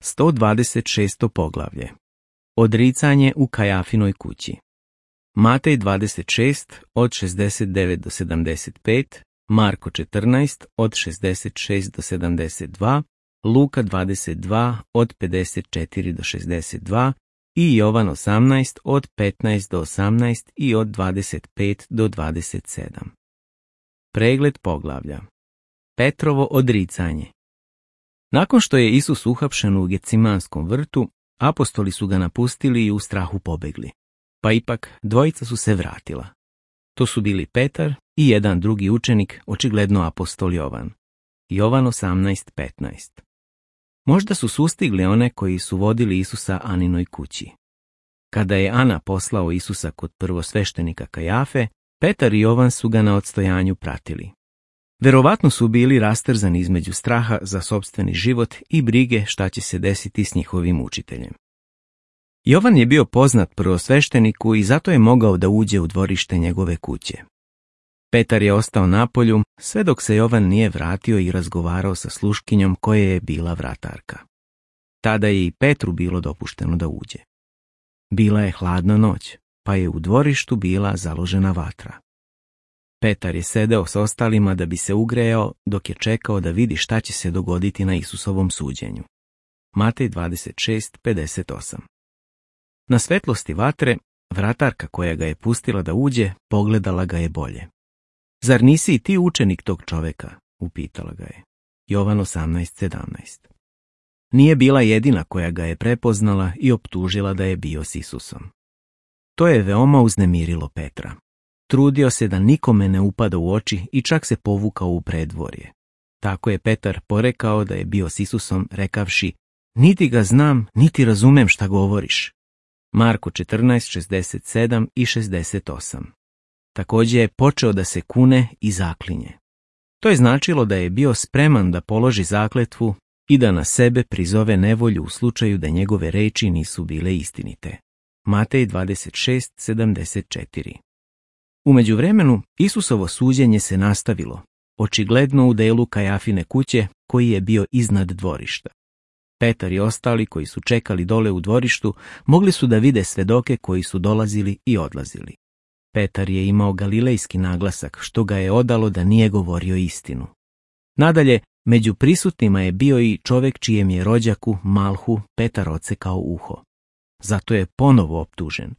126. poglavlje. Odricanje u Kajafinoj kući. Matej 26 od 69 do 75, Marko 14 od 66 do 72, Luka 22 od 54 do 62 i Jovan 18 od 15 do 18 i od 25 do 27. Pregled poglavlja. Petrovo odricanje. Nakon što je Isus uhapšen u Gecimanskom vrtu, apostoli su ga napustili i u strahu pobegli. Pa ipak dvojica su se vratila. To su bili Petar i jedan drugi učenik, očigledno apostol Jovan. Jovan 18:15. Možda su sustigli one koji su vodili Isusa Aninoj kući. Kada je Ana poslao Isusa kod prvosveštenika Kajafe, Petar i Jovan su ga na odstojanju pratili. Verovatno su bili rastrzani između straha za sopstveni život i brige šta će se desiti s njihovim učiteljem. Jovan je bio poznat prvosvešteniku i zato je mogao da uđe u dvorište njegove kuće. Petar je ostao napolju sve dok se Jovan nije vratio i razgovarao sa sluškinjom koja je bila vratarka. Tada je i Petru bilo dopušteno da uđe. Bila je hladna noć, pa je u dvorištu bila založena vatra. Petar je sedeo s ostalima da bi se ugrejao dok je čekao da vidi šta će se dogoditi na Isusovom suđenju. Matej 26:58. Na svetlosti vatre, vratarka koja ga je pustila da uđe, pogledala ga je bolje. Zar nisi i ti učenik tog čoveka? Upitala ga je. Jovan 18:17. Nije bila jedina koja ga je prepoznala i optužila da je bio s Isusom. To je veoma uznemirilo Petra. Trudio se da nikome ne upada u oči i čak se povukao u predvorje. Tako je Petar porekao da je bio s Isusom, rekavši: niti ga znam, niti razumem šta govoriš. Marko 14:67 i 68. Također je počeo da se kune i zaklinje. To je značilo da je bio spreman da položi zakletvu i da na sebe prizove nevolju u slučaju da njegove reči nisu bile istinite. Matej 26:74. U međuvremenu, Isusovo suđenje se nastavilo, očigledno u delu Kajafine kuće koji je bio iznad dvorišta. Petar i ostali koji su čekali dole u dvorištu mogli su da vide svedoke koji su dolazili i odlazili. Petar je imao galilejski naglasak što ga je odalo da nije govorio istinu. Nadalje, među prisutnima je bio i čovjek čijem je rođaku Malhu Petar odsekao uho. Zato je ponovo optužen.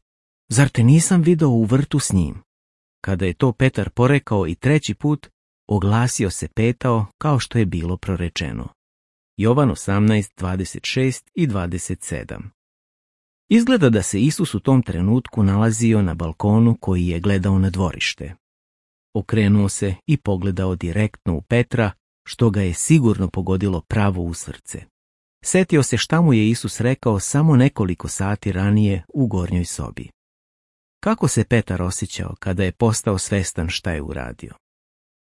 Zar te nisam video u vrtu s njim? Kada je to Petar porekao i treći put, oglasio se petao kao što je bilo prorečeno. Jovan 18:26 i 27. Izgleda da se Isus u tom trenutku nalazio na balkonu koji je gledao na dvorište. Okrenuo se i pogledao direktno u Petra, što ga je sigurno pogodilo pravo u srce. Setio se šta mu je Isus rekao samo nekoliko sati ranije u gornjoj sobi. Kako se Petar osjećao kada je postao svestan šta je uradio?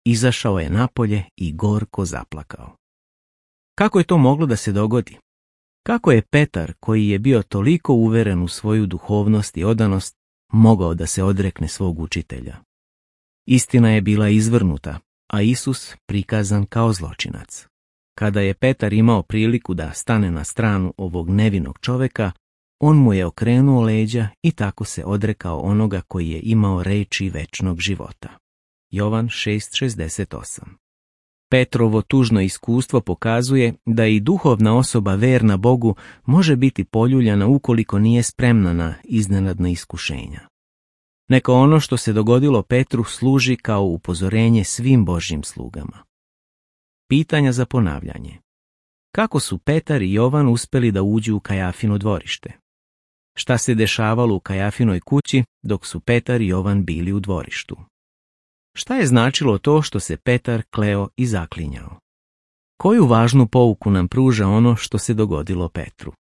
Izašao je napolje i gorko zaplakao. Kako je to moglo da se dogodi? Kako je Petar, koji je bio toliko uveren u svoju duhovnost i odanost, mogao da se odrekne svog učitelja? Istina je bila izvrnuta, a Isus prikazan kao zločinac. Kada je Petar imao priliku da stane na stranu ovog nevinog čoveka, on mu je okrenuo leđa i tako se odrekao onoga koji je imao reči večnog života. Jovan 6:68. Petrovo tužno iskustvo pokazuje da i duhovna osoba verna Bogu može biti poljuljana ukoliko nije spremna na iznenadna iskušenja. Neka ono što se dogodilo Petru služi kao upozorenje svim Božjim slugama. Pitanja za ponavljanje. Kako su Petar i Jovan uspeli da uđu u Kajafino dvorište? Šta se dešavalo u Kajafinoj kući dok su Petar i Jovan bili u dvorištu? Šta je značilo to što se Petar kleo i zaklinjao? Koju važnu pouku nam pruža ono što se dogodilo Petru?